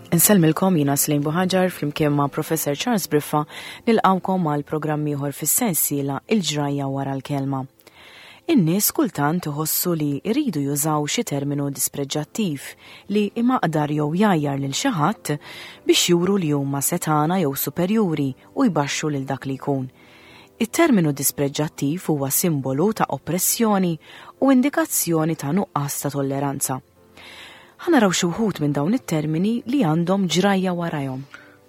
Insellmilkom jiena Slim Buħaġar flimkien ma' Professor Charles Briffa nilqawkom għal programm ieħor fis-sensiela Il-ġrajja wara l-kelma. In-nies kultant iħossu li jridu jużaw xi terminu dispreġġattiv li imaqdar jew jgħajjar lil xi ħadd biex juru li huma setgħana jew superjuri u jbaxxu lil dak li jkun. It-terminu dispreġġattiv huwa simbolu ta' oppressjoni u indikazzjoni ta' nuqqas ta' tolleranza. Ħa naraw xi wħud minn dawn it-termini li għandhom ġrajja warajhom.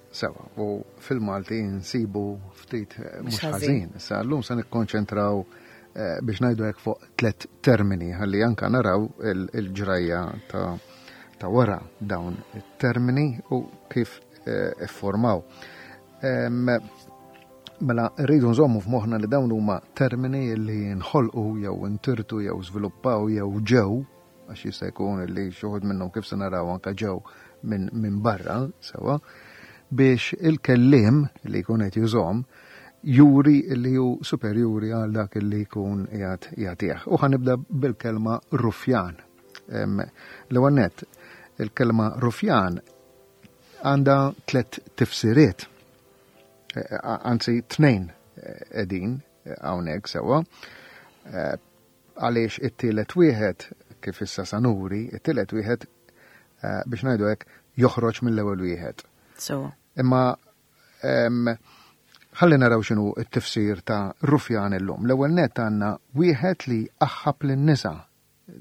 Sewa, u fil-Malti nsibu ftit eh, mhux ħażin. Issa llum se nikkonċentraw eh, biex ngħidu hekk fuq tliet termini ħalli anka naraw il-ġrajja ta' ta' wara dawn it-termini u kif eh, iffurmaw. Mela rridu nżommu f'moħħna li dawn huma termini li nħolqu jew intirtu jew żviluppaw jew ġew għax jista' jkun li xi wħud minnhom kif se naraw anke ġew minn min barra sewa biex il-kelliem li jkun qed jużhom juri li hu superjuri għal dak li jkun qiegħed jagħtih. U ħanibda bil-kelma rufjan. L-ewwel nett, il-kelma rufjan għandha tliet tifsiriet. E, e, anzi tnejn qegħdin hawnhekk sewwa. E, Għaliex it-tielet wieħed, kif issa sa nuri, it-tielet wieħed eh, biex ngħidu hekk joħroġ mill-ewwel wieħed. So. Imma ħalli naraw x'inhu t-tifsir ta' rufjan illum. L-ewwel net għandna wieħed li aħħab lin-nisa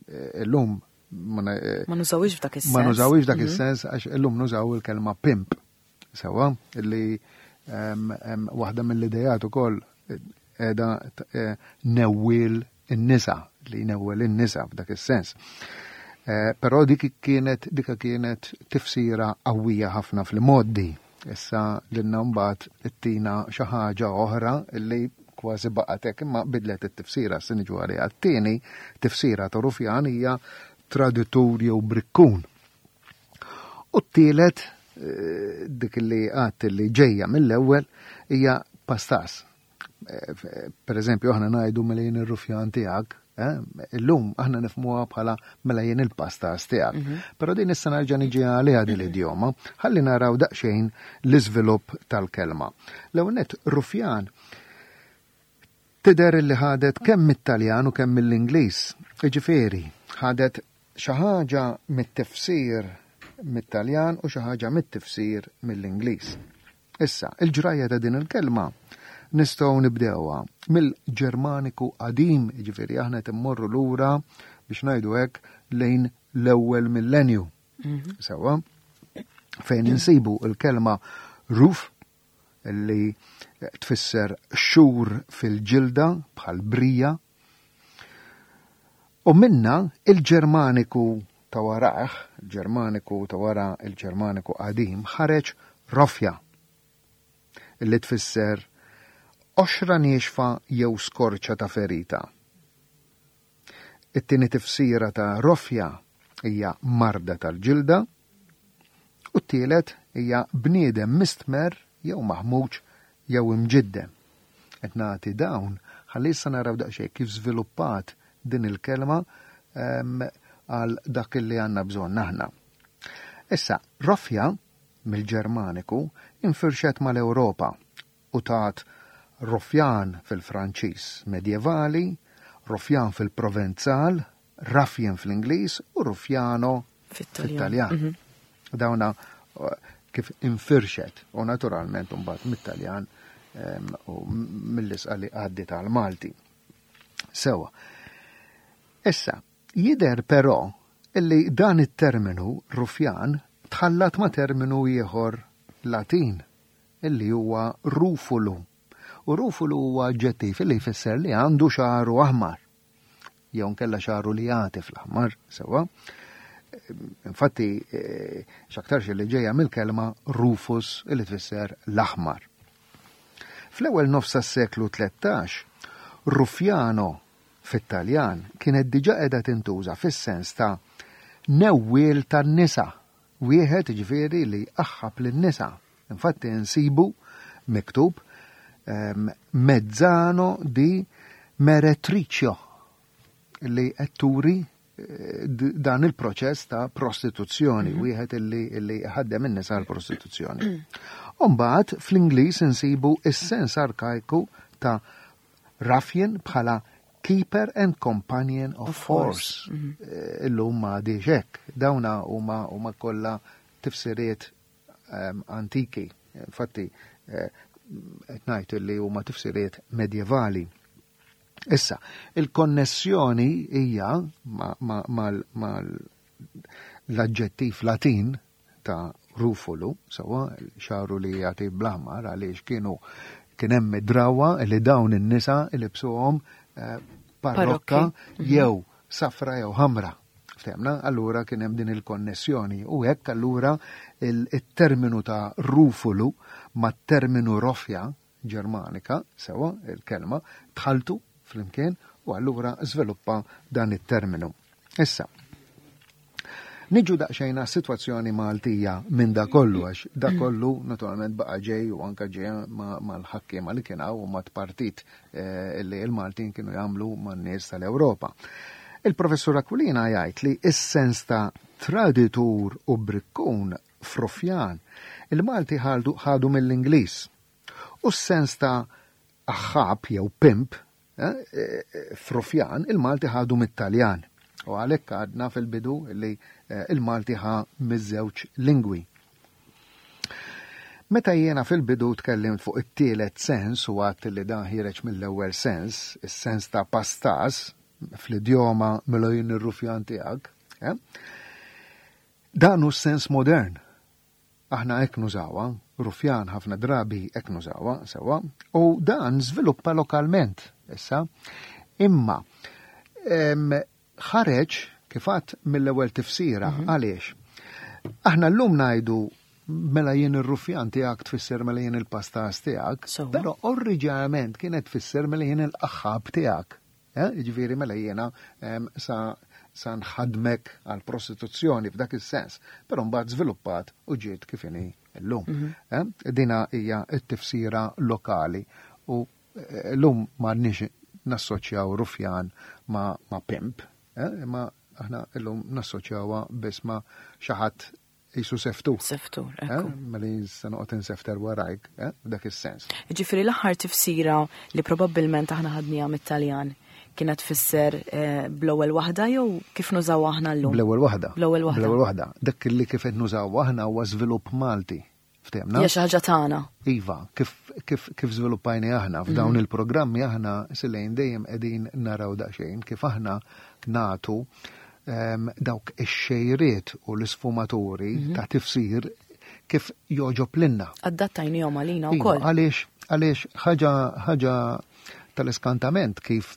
eh, illum ma eh, nużawix f'dak is-sens. Ma nużawix f'dak mhm. is-sens għax illum nużaw il-kelma pimp. Sewa, li waħda mill-idejat ukoll qiegħda eh, newwiel in-nisa, li newwel in-nisa f'dak is-sens. Eh, però dik kienet dika kienet tifsira qawwija ħafna fl-moddi. Issa lilna mbagħad ittina xi ħaġa oħra li kważi baqgħet hekk imma bidlet it-tifsira se niġu għaliha. T-tieni tifsira ta' rufjan hija traditur jew brikkun. U t-tielet, eh, dik li għat li ġejja mill-ewwel hija pastas. Eh, per eżempju, aħna ngħidu mela jien ir-rufjan tiegħek, eh, illum aħna nifmuha bħala mela jien il-pastas tiegħek. Mhm. Però din issa nerġa' niġi għaliha din l-idjoma, ħalli naraw daqsxejn l-iżvilupp tal-kelma. L-ewwel nett rufjan tidher li ħadet kemm mit-Taljan u kemm mill-Ingliż. Jiġifieri, ħadet xi ħaġa mit-tifsir mit-Taljan u xi ħaġa mit-tifsir mill-Ingliż. Issa, il-ġrajja ta' din il-kelma nistgħu nibdewha mill-Ġermaniku qadim, jiġifieri aħna qed immorru lura biex ngħidu hekk lejn l-ewwel millenju. Mhm. Sewwa, fejn insibu l-kelma ruf li tfisser xhur fil-ġilda bħal brija. U minna il-Ġermaniku ta' warah, il-Ġermaniku ta' wara il-Ġermaniku qadim, ħareġ rofja, li tfisser qoxra niexfa jew skorċa ta' ferita. It-tieni tifsira ta' rofja hija marda tal-ġilda u t-tielet hija bniedem mistmerr jew maħmuġ jew imġiddem. Qed nagħti dawn ħalli issa naraw daqsxejn kif żviluppat din il-kelma ehm, għal dak li għandna bżonn aħna. Issa, rofja mill-Ġermaniku infirxet mal-Ewropa u tat rufjan fil-Franċiż medjevali, rufjan fil-Provenzal, ruffian fl-Ingliż u ruffiano fit-Taljan. Mhm. Dawna eh, kif infirxet u naturalment mbagħad mit-Taljan u mill-isqa li għaddi tal-Malti. Sewa. Issa, jider però illi dan it-terminu rufjan tħallat ma' terminu ieħor Latin illi huwa rufulu. U rufulu huwa aġġettiv illi jfisser li għandu xagħru aħmar. Jew nkella xagħru li jagħti fl-aħmar, sewwa. Infatti, eh, x'aktarx li ġejja mill-kelma rufus illi tfisser l-aħmar. Fl-ewwel nofs tas-seklu 13, Ruffiano fit-Taljan kienet diġà qiegħda tintuża fis-sens ta' newwiel tan-nisa Wieħed, jiġifieri, li jqaħħab lin-nisa. Infatti nsibu miktub ehm, Mezzano di Meretricio li qed turi dan il-proċess ta' prostituzzjoni, wieħed illi ħaddem in-nisa l-prostituzzjoni. Umbagħad fl-Ingliż insibu is-sens arkajku ta' ruffian bħala keeper and companion of horse. Illum ma hekk. Dawna huma kollha tifsiriet antiki. Infatti, qed ngħid li huma tifsiriet medjevali. Issa, il-konnessjoni hija mal l-aġġettiv Latin ta' rufulu, sewa xaru li jagħti bl-aħmar għaliex kien hemm drawa li dawn in-nisa ilibsuhom parrokka jew safra jew ħamra. Ftehmna, allura kien hemm din il-konnessjoni u hekk allura il-terminu ta' rufulu ma' terminu rofja Ġermanika, sewa il-kelma, tħaltu flimkien u allura żviluppa dan it-terminu. Issa, niġu daqsxejn sitwazzjoni Maltija minn da kollu, għax da kollu naturalment baqa ġej u anka ġej mal-ħakkiema li kien hawn u mat-partit li l-Maltin kienu jagħmlu man-nies tal-Ewropa. Il-professur Aquilina jgħid li s-sens ta' traditur u brikkun f'rufjan il-Malti ħadu mill-Ingliż. U s-sens ta' aħħab jew pimp f'rufjan il-Malti ħadu mit-Taljan. U għalhekk għadna fil-bidu li il-Malti ħa miż-żewġ lingwi. Meta jiena fil-bidu tkellimt fuq it-tielet sens u għadt li dan ħiereġ mill-ewwel sens, is-sens ta' pastas fl-idjoma mela jien ir-rufjan tiegħek, dan hu s-sens modern. Aħna hekk nużawha, rufjan ħafna drabi hekk nużawha, sewa, u dan żviluppa lokalment issa. Imma ħareġ kif għadt mill-ewwel tifsira, għaliex? Aħna llum ngħidu mela jien ir-rufjan tiegħek tfisser mela jien il-pastas tiegħek, però oriġinarjament kienet tfisser mela jien il-qaħħab tiegħek. Jiġifieri mela jiena sa nħadmek għal prostituzzjoni f'dak is-sens, però mbagħad żviluppat u ġiet kif inhi llum. Dina hija t-tifsira lokali u llum m'għandniex nassoċjaw rufjan ma' pimp, imma aħna llum nassoċjawha biss ma' xi ħadd jisu seftur. Seftur, ekku. Mela se noqgħod insefter warajk, f'dak is-sens. Ġifieri l-aħħar tifsira li probabbilment aħna ħadniha mit-Taljan kienet tfisser bl-ewwel waħda jew kif nużaw aħna llum? Bl-ewwel waħda. Bl-ewwel waħda. Bl-ewwel waħda. Dak li kif qed nużaw aħna huwa żvilupp Malti. Ftehmna? Hija xi ħaġa tagħna. Iva, kif żviluppajni aħna f'dawn il-programmi aħna silejn dejjem qegħdin naraw daqsxejn kif aħna nagħtu dawk ix-xejriet u l-isfumaturi ta' tifsir kif joġob lilna. Adattajnihom għalina Iva, wkoll. Għaliex ħaġa tal-iskantament kif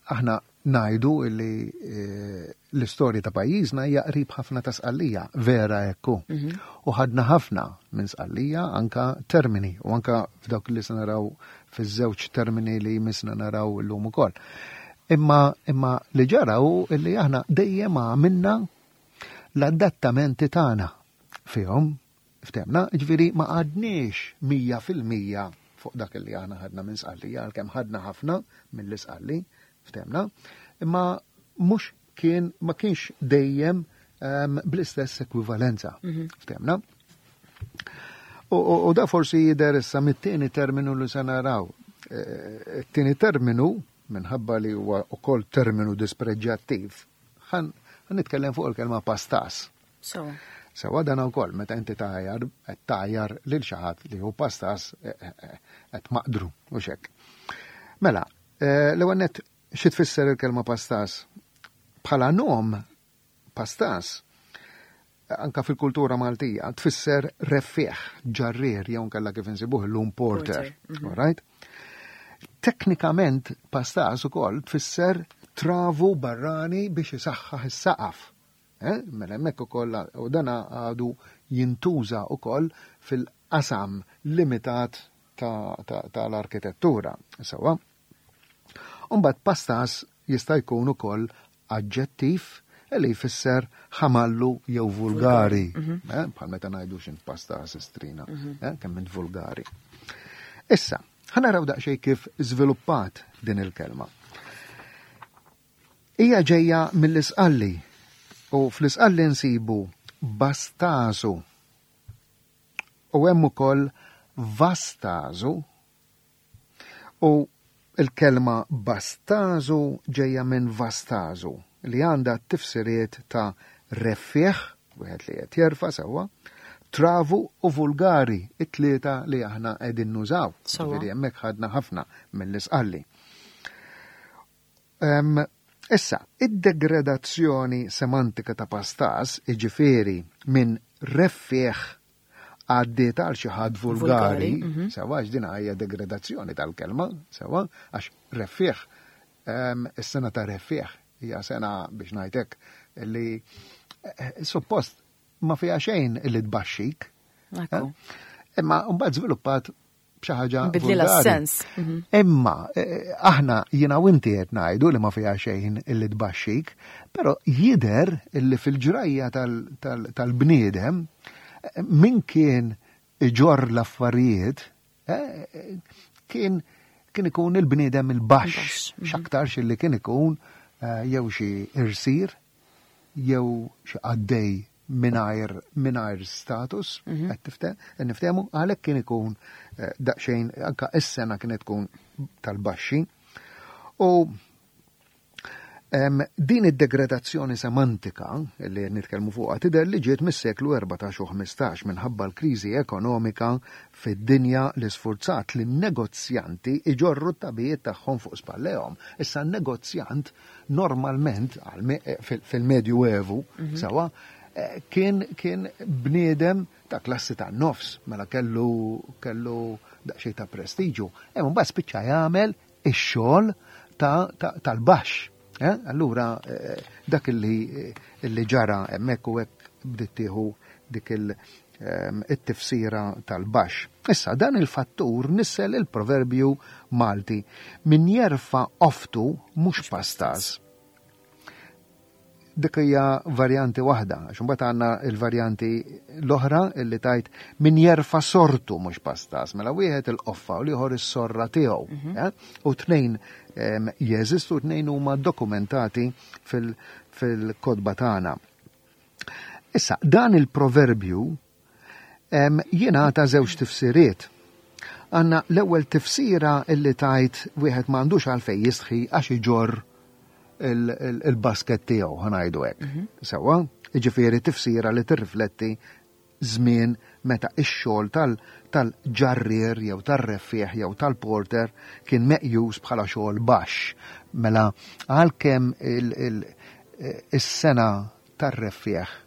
aħna ngħidu li l-istorja ta' pajjiżna hija qrib ħafna ta' Sqallija, vera ekku. U ħadna ħafna minn Sqallija anka termini u anka f'dawk li se naraw fiż-żewġ termini li jmissna naraw illum ukoll. Imma li ġara hu li aħna dejjem għamilna l-adattamenti tagħna fihom, ftehmna, ġifieri ma għadniex 100% fuq dak li aħna ħadna minn Sqallija, għalkemm ħadna ħafna mill-Isqalli, ftehmna, imma mhux kien, ma kienx dejjem bl-istess ekwivalenza, ftehmna. U da forsi jidher issa mit-tieni terminu li se naraw. It-tieni terminu, minħabba li huwa wkoll terminu dispreġġattiv, ħan nitkellem fuq il-kelma pastas. Sewa dan ukoll meta inti tajar, qed tajar lil xi ħadd li hu pastas, qed maqdru u xek. Mela, l-ewwel nett xi tfisser il-kelma pastas? Bħala nom pastas anka fil-kultura Maltija tfisser reffiħ, ġarrier, jew nkella kif insibuh illum porter. Porter, All right? Teknikament pastas ukoll tfisser travu barrani biex isaħħaħ is-saqaf. Mela hemmhekk ukoll u dan għadu jintuża ukoll fil-qasam limitat tal-arkitettura. Sewa. Umbagħad pastas jista' jkun ukoll aġġettiv li jfisser ħamallu jew vulgari. Bħal meta ngħidu x'int pastas istrina, kemm int vulgari. Issa, ħa naraw daqsxejn kif żviluppat din il-kelma. Hija ġejja mill-Isqalli u fl-Isqalli nsibu bastasu u hemm ukoll vastasu u l-kelma bastażu ġejja minn vastażu li għandha t-tifsiriet ta' reffiegħ, wieħed li qed jerfa' sewwa, travu u vulgari, it-tlieta li aħna qegħdin nużaw. Ġifieri hemmhekk ħadna ħafna mill-Isqalli. Issa, id-degradazzjoni semantika ta' pastas, jiġifieri minn reffiegħ għaddiet għal xi ħadd vulgari, mhm. sewa għax din hija degradazzjoni tal-kelma, sewa għax reffiegħ is-sena ta' reffiegħ hija sena biex ngħidlek li eh, suppost ma fiha xejn li tbaxxik. Eh? Imma mbagħad żviluppat b'xi ħaġa. Bidlilha s-sens. Mhm. Imma eh, aħna jiena u inti qed ngħidu li ma fiha xejn illi tbaxxik, però jidher illi fil-ġrajja tal-bniedem eh, min kien iġorr l-affarijiet eh, kien kien ikun il-bniedem il-baxx, mhm. x'aktarx illi kien ikun jew xi irsir jew xi qaddej mingħajr mingħajr status, mhm. qed niftehmu, għalhekk kien ikun eh, daqsxejn anka is-sena kienet tkun tal-baxxi. U din id-degradazzjoni semantika li nitkellmu fuqha tidher li ġiet mis-seklu 14 u 15 minħabba l-kriżi ekonomika fid-dinja li sfurzat li negozjanti iġorru t-tabijiet tagħhom fuq spallejhom. Issa n-negozjant normalment fil-Medju Evu, mhm. sewa, eh, kien kien bniedem ta' klassi ta' nofs, mela kellu kellu daqsxejn ta' prestiġu. Hemm mbagħad spiċċa jagħmel ix-xogħol tal-baxx. Eh? Allura eh, dak li ġara hemmhekk u hekk bdiet tieħu dik il- it-tifsira tal-baxx. Issa, dan il-fattur nissel il-proverbju Malti, min jerfa' qoftu mhux pastaż. Dik hija varjanti waħda, għax imbagħad għandna l-varjanti l-oħra illi tgħid min jerfa' sortu mhux pastaż, mela wieħed il-qoffa u l-ieħor is-sorra tiegħu. Mhm. Eh? U tnejn jeżistu, tnejn huma dokumentati fil-kotba tagħna. Issa, dan il-proverbju jingħata żewġ tifsiriet. Għanna l-ewwel tifsira illi tajt wieħed m'għandux għalfejn jistħi għax iġorr il-basket tiegħu ħanajdu hekk. Mhm. Sewwa, jiġifieri tifsira li tirrifletti żmien meta x-xogħol tal-ġarrier jew tar-reffiegħ jew tal-porter kien meqjus bħala xogħol baxx. Mela għalkemm is-sena tar-reffiegħ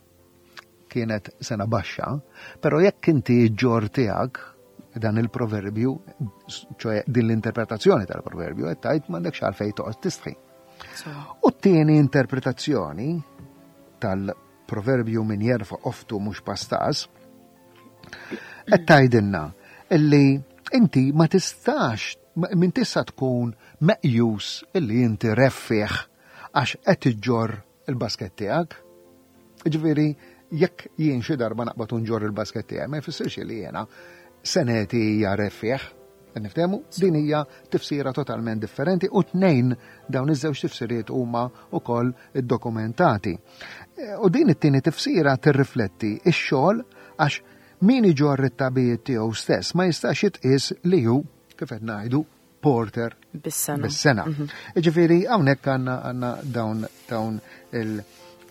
kienet sena baxxa, però jekk inti ġġorr tiegħek dan il-proverbju, ċoe din l-interpretazzjoni tal-proverbju, qed tgħid m'għandekx għalfejn toqgħod tistħi. U t-tieni interpretazzjoni tal Proverbju min jerfa' qoftu mhux pastaż, qed tgħidilna illi inti ma tistax min tista' tkun meqjus illi inti reffiegħ għax qed iġġorr il-basket tiegħek. Ġifieri jekk jien xi darba naqbad u nġorr il-basket tiegħi ma jfissirx li jiena seneti hija reffiegħ. Niftehmu? Din hija tifsira totalment differenti u tnejn dawn iż-żewġ tifsiriet huma wkoll iddokumentati. E, u din it-tieni tifsira tirrifletti x-xogħol għax min iġorr it-tabijiet tiegħu stess ma jistax jitqies li hu kif qed ngħidu porter bis-sena. Bis-sena. Mhm. Ġifieri hawnhekk għandna għandna dawn dawn il-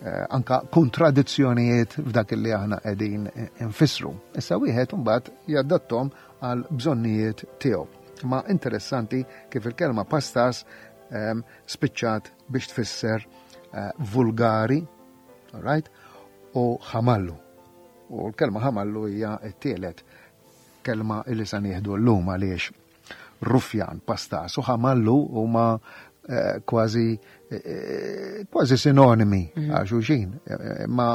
eh, anka kontradizzjonijiet f'dak li aħna qegħdin infissru. Issa wieħed imbagħad jadattom għal bżonnijiet tiegħu. Ma interessanti kif il-kelma pastas ehm, spiċċat biex tfisser eh, vulgari, all right, u ħamallu. U l-kelma ħamallu hija t-tielet kelma li sa nieħdu llum għaliex rufjan, pastas u ħamallu huma eh, kważi eh, kważi sinonimi mhm. għal xulxin. Ma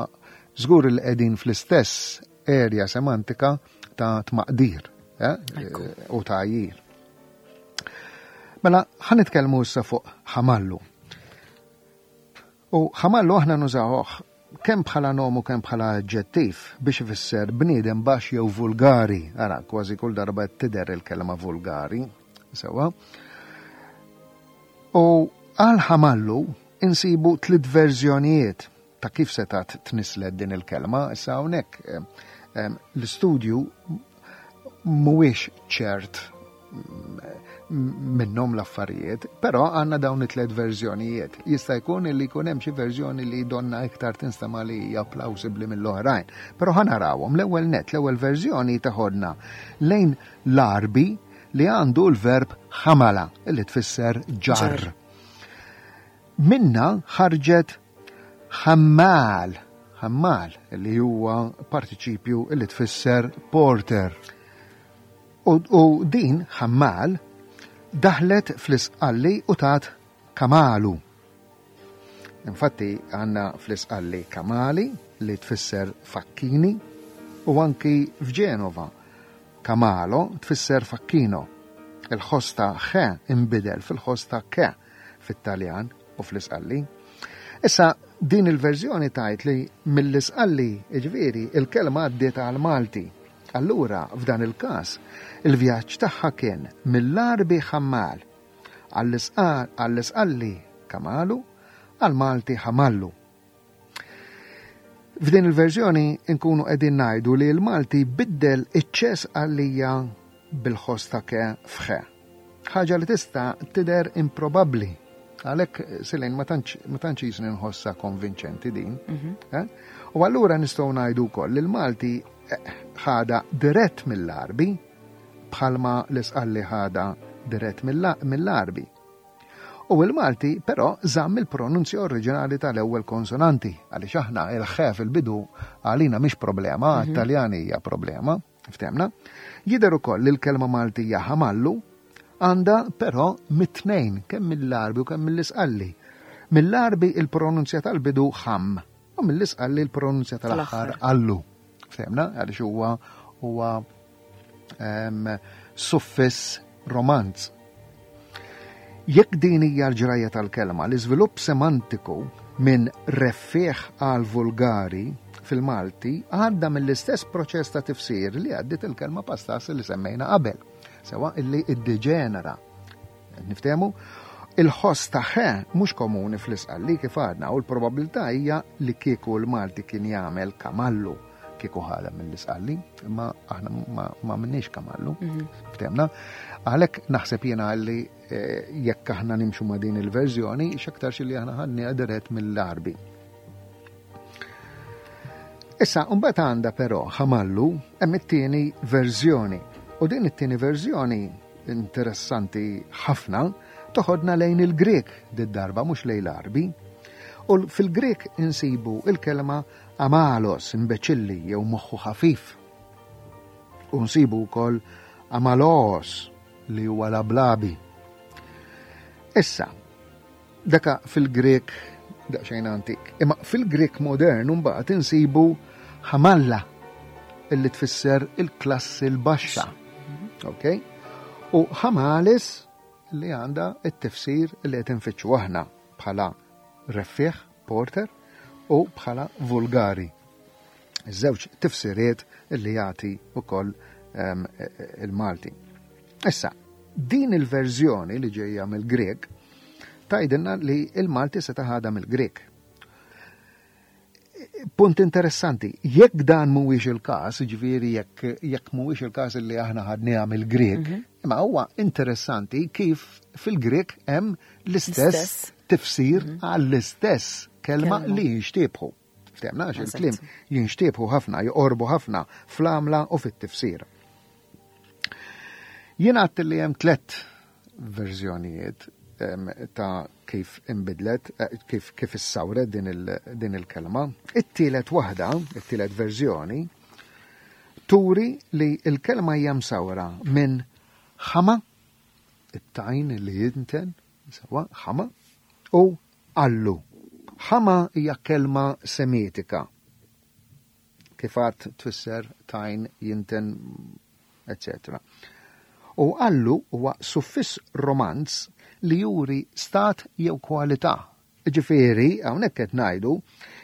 żgur li qegħdin fl-istess area semantika ta' tmaqdir eh, u ta' għajjir. Mela, ħa nitkellmu issa fuq ħamallu. U ħamallu aħna nużawh kemm bħala nom u kemm bħala aġġettiv biex ifisser bniedem baxx jew vulgari. Ara, kważi kull darba tidher il-kelma vulgari, sewa. U għal ħamallu. insibu tliet verżjonijiet ta' kif setat tnislet din il-kelma. Issa hawnhekk eh, eh, l-istudju mhuwiex ċert minnhom l-affarijiet, però għandna dawn it-tliet verżjonijiet. Jista' jkun li jkun hemm xi verżjoni li donna iktar tinstema' li hija plawsibbli mill-oħrajn. Però ħa narawhom l-ewwel net, l-ewwel verżjoni teħodna lejn l-Għarbi li għandu l-verb ħamala li tfisser ġarr. Minna ħarġet ħammal, ħammal li huwa partiċipju li tfisser porter. U, u din ħammal daħlet fl-isqalli u tat kamalu. Infatti għandna fl-isqalli kamali li tfisser fakkini u anki f'Ġenova kamalo tfisser facchino. Il-ħoss ta' ħe inbidel fil-ħoss ta' ke fit-Taljan u fl-Isqalli. Issa din il-verżjoni tgħid li mill-Isqalli, jiġifieri, il-kelma għaddiet għall-Malti. Allura, f'dan il-każ, il-vjaġġ tagħha kien mill-Għarbi ħammal, għall-Isqalli kamalu, għall-Malti ħamallu. F'din il-verżjoni nkunu qegħdin ngħidu li l-Malti biddel iċ-ċes għalija bil-ħoss ta' ke f'ħe. Ħaġa li tista' tidher improbabbli. Għalhekk Silin ma tantx jisni nħossha konvinċenti din. Mhm. Eh? U allura nistgħu ngħidu wkoll li l-Malti eh, ħada dirett mill-Arbi bħalma l-Isqalli ħada dirett mill-Arbi. U il-Malti però żamm il-pronunzja oriġinali tal-ewwel konsonanti, għaliex aħna il-ħe fil-bidu għalina mhix problema, mhm. għat-Taljani hija problema, ftemna. Jidher ukoll li l-kelma Maltija ħamallu għandha però mit-tnejn, kemm mill-Għarbi u kemm mill-Isqalli. Mill-Għarbi il-pronunzja tal-bidu ħam u mill-Isqalli l-pronunzja tal-aħħar allu. Ftemna, għaliex huwa huwa suffiss romanz. Jekk din hija l-ġrajja tal-kelma, l-iżvilupp semantiku minn reffiegħ għal vulgari fil-Malti għadda mill-istess proċess ta' tifsir li għaddiet il-kelma pastas li semmejna qabel, sewa illi iddeġenera. Niftehmu? Il-ħoss ta' ħe mhux komuni fl-Isqalli kif għadna u l-probabilità hija li kieku l-Malti kien jagħmel kamallu kieku ħadha mill-Isqalli, imma aħna ma minniex kamallu, mhm. ftemna. Għalhekk naħseb jiena li eh, jekk aħna nimxu ma' din il-verżjoni, x'aktarx li aħna ħadni dirett mill-Arbi. Issa, mbagħad għandha però ħamallu hemm it-tieni verżjoni. U din it-tieni verżjoni interessanti ħafna toħodna lejn il-Grek did-darba mhux lejn l-Arbi. U fil-Grek insibu il-kelma Amalos, imbeċilli jew moħħu ħafif. U nsibu wkoll amaloos li huwa lablabi. Issa, daka fil-Grek daqsxejn antik. Imma fil-Grek modern mbagħad insibu ħamalla illi tfisser il-klassi l-baxxa. Ok? U ħamalis li għandha t-tifsir li qed infittxu aħna bħala reffiħ, porter, u bħala vulgari. Żewġ tifsiriet li jagħti wkoll ehm, il-Malti. Issa, din il-verżjoni li ġejja mill-Grek tgħidilna li il-Malti se taħadha mill-Grek. Punt interessanti, jekk dan mhuwiex il-każ, ġifieri jekk jekk mhuwiex il-każ li aħna ħadniha mill-Grek, mhm. imma huwa interessanti kif fil-Grek hemm l-istess tifsir mhm. għall-istess kelma li jinxtiebħu. Ftemna għax il-kliem jinxtiebħu ħafna, joqorbu ħafna fl-għamla u fit-tifsir. Jien għadt li hemm tlett verżjonijiet ta' kif inbidlet, eh, kif, kif issawret din, il, din il-kelma. It-tielet waħda, it-tielet verżjoni, turi li l-kelma hija msawra minn ħama, it-tajn li jinten, sewa, ħama, u allu. Ħama hija kelma semitika. Kif għad tfisser tajn, jinten, etc. U allu huwa suffiss romanz li juri stat jew kwalità. Ġifieri, hawnhekk qed ngħidu,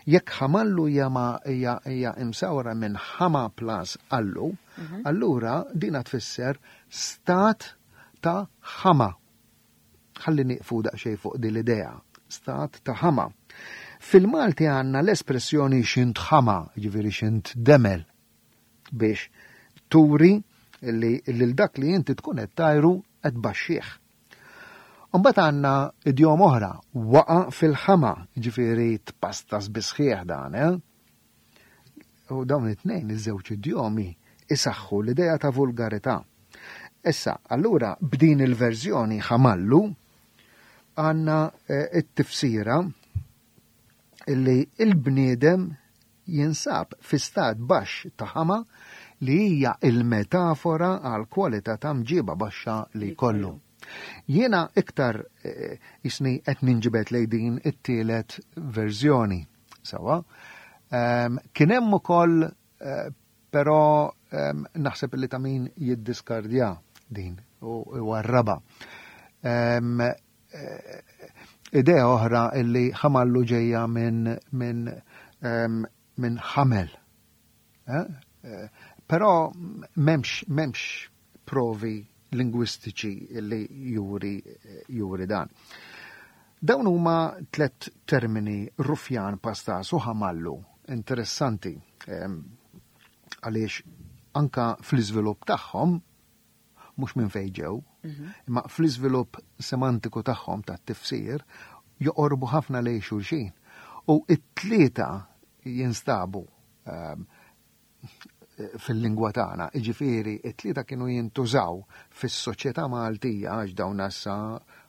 jekk ħamallu hija ma hija hija imsawra minn ħama plus allu, mhm. allura dina tfisser stat ta' ħama. Ħalli nieqfu daqsxejn fuq din l-idea. Stat ta' ħama. Fil-Malti għandna l-espressjoni xint ħama, ġifieri xint demel, biex turi li lil dak li inti tkun qed tajru qed baxxih. Imbagħad għandna idjom oħra, waqa' fil-ħama, ġifieri tpastas bisħieħ dan, eh? U dawn it-tnejn iż-żewġ idjomi isaħħu l-idea ta' vulgarità. Issa, allura b'din il-verżjoni ħamallu għandna eh, it-tifsira illi il-bniedem jinsab fi stat baxx ta' ħama li hija il-metafora għal kwalità ta' mġiba baxxa li jkollu. Jiena iktar eh, jisni qed ninġibed lejn din it-tielet verżjoni. Sawa. Ehm, kien hemm ukoll eh, però ehm, naħseb li ta' min jiddiskardja din u warraba. Ehm, eh, idea oħra illi ħamallu ġejja minn min, min ħamel. Eh? Però memx, memx provi lingwistiċi li juri, juri dan. Dawn huma tlet termini rufjan, pastas u ħamallu interessanti ehm, għaliex anka fl-iżvilupp tagħhom mhux minn fejn ġew, mhm. imma fl-iżvilupp semantiku tagħhom tat-tifsir joqorbu ħafna lejn xulxin. U it-tlieta jinstabu ehm, fil-lingwa tagħna. Jiġifieri t-tlieta kienu jintużaw fis-soċjetà Maltija għax dawn issa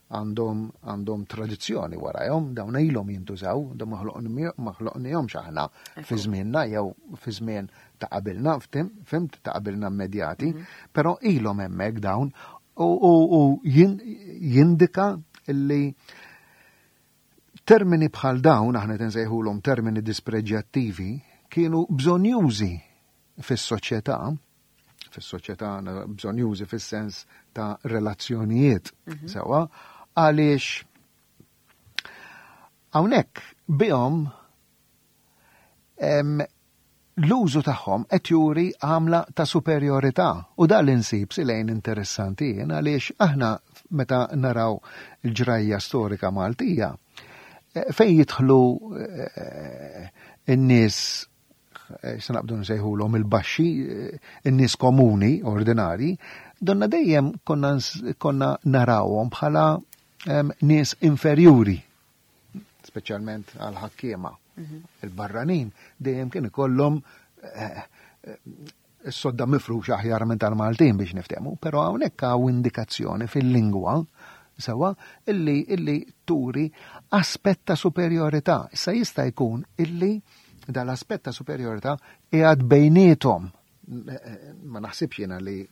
għandhom għandhom tradizzjoni warajhom, dawn ilhom jintużaw, dawn ma ħloqnihomx aħna fi żmienna jew fi żmien ta' qabilna, fimt ta' qabilna immedjati, mhm. però ilhom hemmhekk dawn u jindika li Termini bħal dawn, aħna qed insejħulhom termini dispreġjattivi, kienu bżonnjużi fis-soċjetà, fis-soċjetà bżonnjużi fis-sens ta' relazzjonijiet, mhm. sewwa, għaliex hawnhekk bihom L-użu tagħhom qed juri għamla ta' superjorità u dan li nsib silejn interessanti jien għaliex aħna meta naraw il-ġrajja storika Maltija eh, fejn jidħlu eh, n-nies eh, se naqbdu nsejħulhom il-baxxi, in-nies komuni, ordinari, donna dejjem konna, konna narawhom bħala nies inferjuri speċjalment għal ħakkiema. Mhm. Il-barranin dejjem kien ikollhom eh, eh, s-sodda mifrux aħjar minn tal-Maltin biex niftehmu, però hawnhekk hawn indikazzjoni fil-lingwa sewa illi illi turi aspett ta' superjorità. Issa jista' jkun illi dal-aspett ta' superjorità qiegħed bejniethom. Eh, ma naħsibx jiena li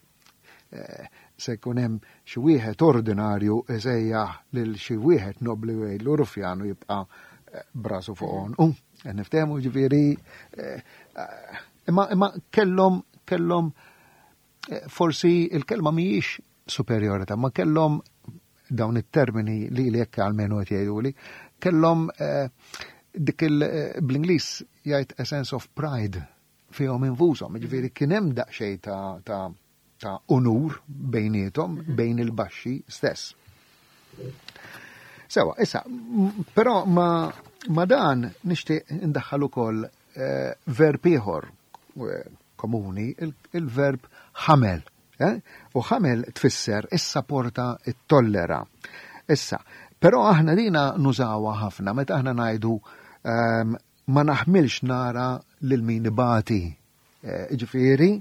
Eh, se jkun hemm xi wieħed ordinarju isejjaħ lil xi wieħed nobli u jgħidlu rufjan u jibqa' eh, brasu fuq għonqu. Eh, niftehmu ġifieri imma imma kellhom kellhom forsi il-kelma mhijiex superjorità, ma kellhom dawn it-termini li li jekk għalmenu qed jgħiduli, kellhom dik il bl-Ingliż jgħid a sense of pride fihom infushom, jiġifieri kien hemm daqsxejn ta' ta' ta' unur bejniethom, mhm. bejn il-baxxi stess. Sewa, issa, però ma, ma dan nixtieq indaħħal ukoll eh, verb ieħor eh, komuni, il-verb ħamel. Eh? U ħamel tfisser issa porta it-tollera. Issa, però aħna dina nużawha ħafna meta aħna ngħidu ehm, Ma naħmilx nara lil min ibati. Eh, ġifieri,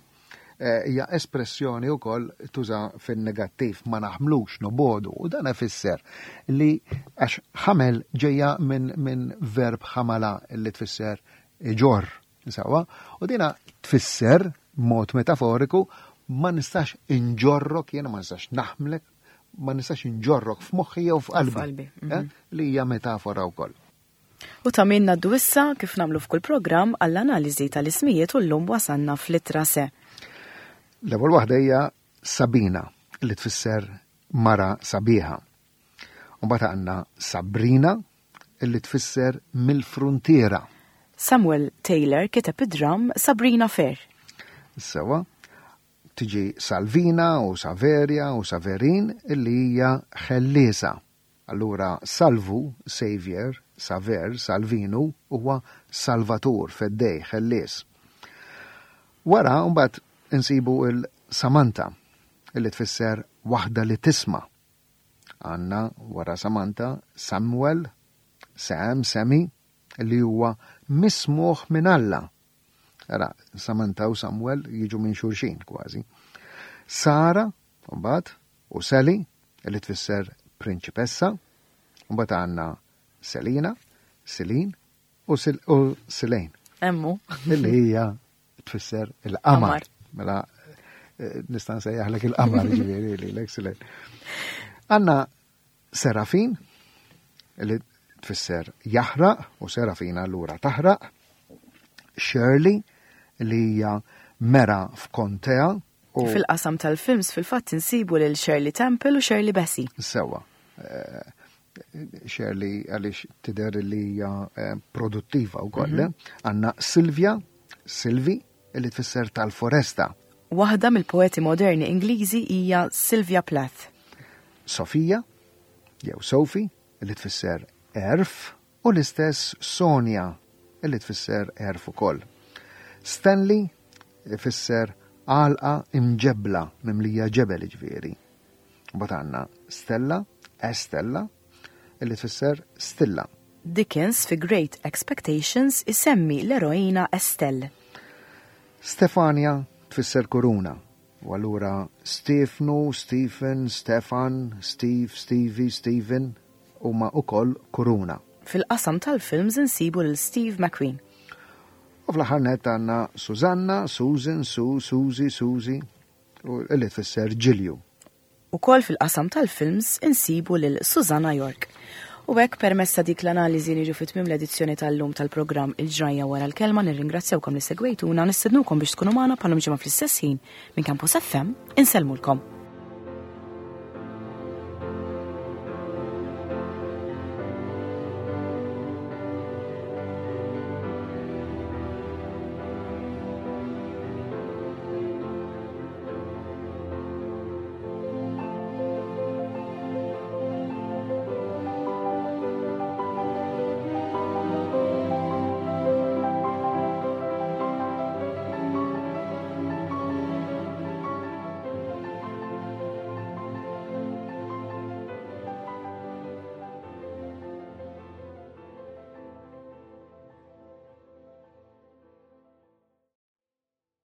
eh, hija espressjoni wkoll tuża fin-negattiv ma naħmlux nobodu u dan ifisser li għax ħamel ġejja minn min verb ħamala li tfisser iġorr sewwa u dina tfisser mod metaforiku ma nistax inġorrok jiena ma nistax naħmlek ma nistax inġorrok f'moħħi jew f'qalbi. Eh, mhm. Li hija metafora wkoll. U ta' min ngħaddu issa, kif nagħmlu f'kull programm, għall-analiżi tal-ismijiet u llum wasalna fl-ittra se. L-ewwel waħda hija Sabina li tfisser mara sabiħa. U mbagħad għandna Sabrina li tfisser mill-fruntiera. Samuel Taylor kiteb id-dramm Sabrina Fair. Sewa, tiġi Salvina u Saveria u Saverin illi hija ħelliesa. Allura Salvu, Saviour, Saver, Salvinu, huwa Salvatur, Feddej, Ħellies. Wara mbagħad insibu il-Samantha, illi tfisser waħda li tisma'. Għandna wara Samantha Samuel, Sam, Sammy, li huwa mismugħ minn Alla. Ara, Samantha u Samuel jiġu minn xulxin kważi. Sara, mbagħad, u Sally, li tfisser prinċipessa, mbagħad għandna Selina, Selin u, Sil u Silejn. Emmu. Illi hija tfisser il-qamar. Mela eh, nista' nsejjaħlek il-qamar ġifieri lilek Silejn. Għandna Serafin, li tfisser jaħraq u Serafina allura taħraq. Shirley, li hija mera f'kontea. U fil-qasam tal-films fil-fatt insibu lil Shirley Temple u Shirley Bassey. Sewa. Eh, Shirley għaliex tidher li hija eh, produttiva wkoll. Mhm. Għandna Silvia, Silvi, li tfisser tal-foresta. Waħda mill-poeti moderni Ingliżi hija Sylvia Plath. Sofija, jew Sophie, li tfisser għerf, u l-istess Sonia, li tfisser għerf ukoll. Stanley ifisser għalqa imġebbla, mimlija ġebel jiġifieri. Mbagħad għandna Stella, Estella, li tfisser stilla. Dickens fi Great Expectations isemmi l-eroina Estelle. Stefania tfisser kuruna, U allura Stiefnu, Stephen, Stefan, Steve, Stevie, Steven huma ukoll kuruna. Fil-qasam tal-films insibu lil Steve McQueen. U fl-aħħar nett għandna Susanna, Susan, Sue, Susie, Susie, u li tfisser ġilju. Ukoll fil-qasam tal-films insibu lil Susanna York. U hekk permezz ta' dik l-analiżi niġu fi tmiem l-edizzjoni tal-lum tal-programm Il-Ġrajja Wara l-Kelma nirringrazzjawkom li segwejtuna nistednukom biex tkunu magħna bħal ġimgħa fl-istess ħin minn Campus FM insellmulkom.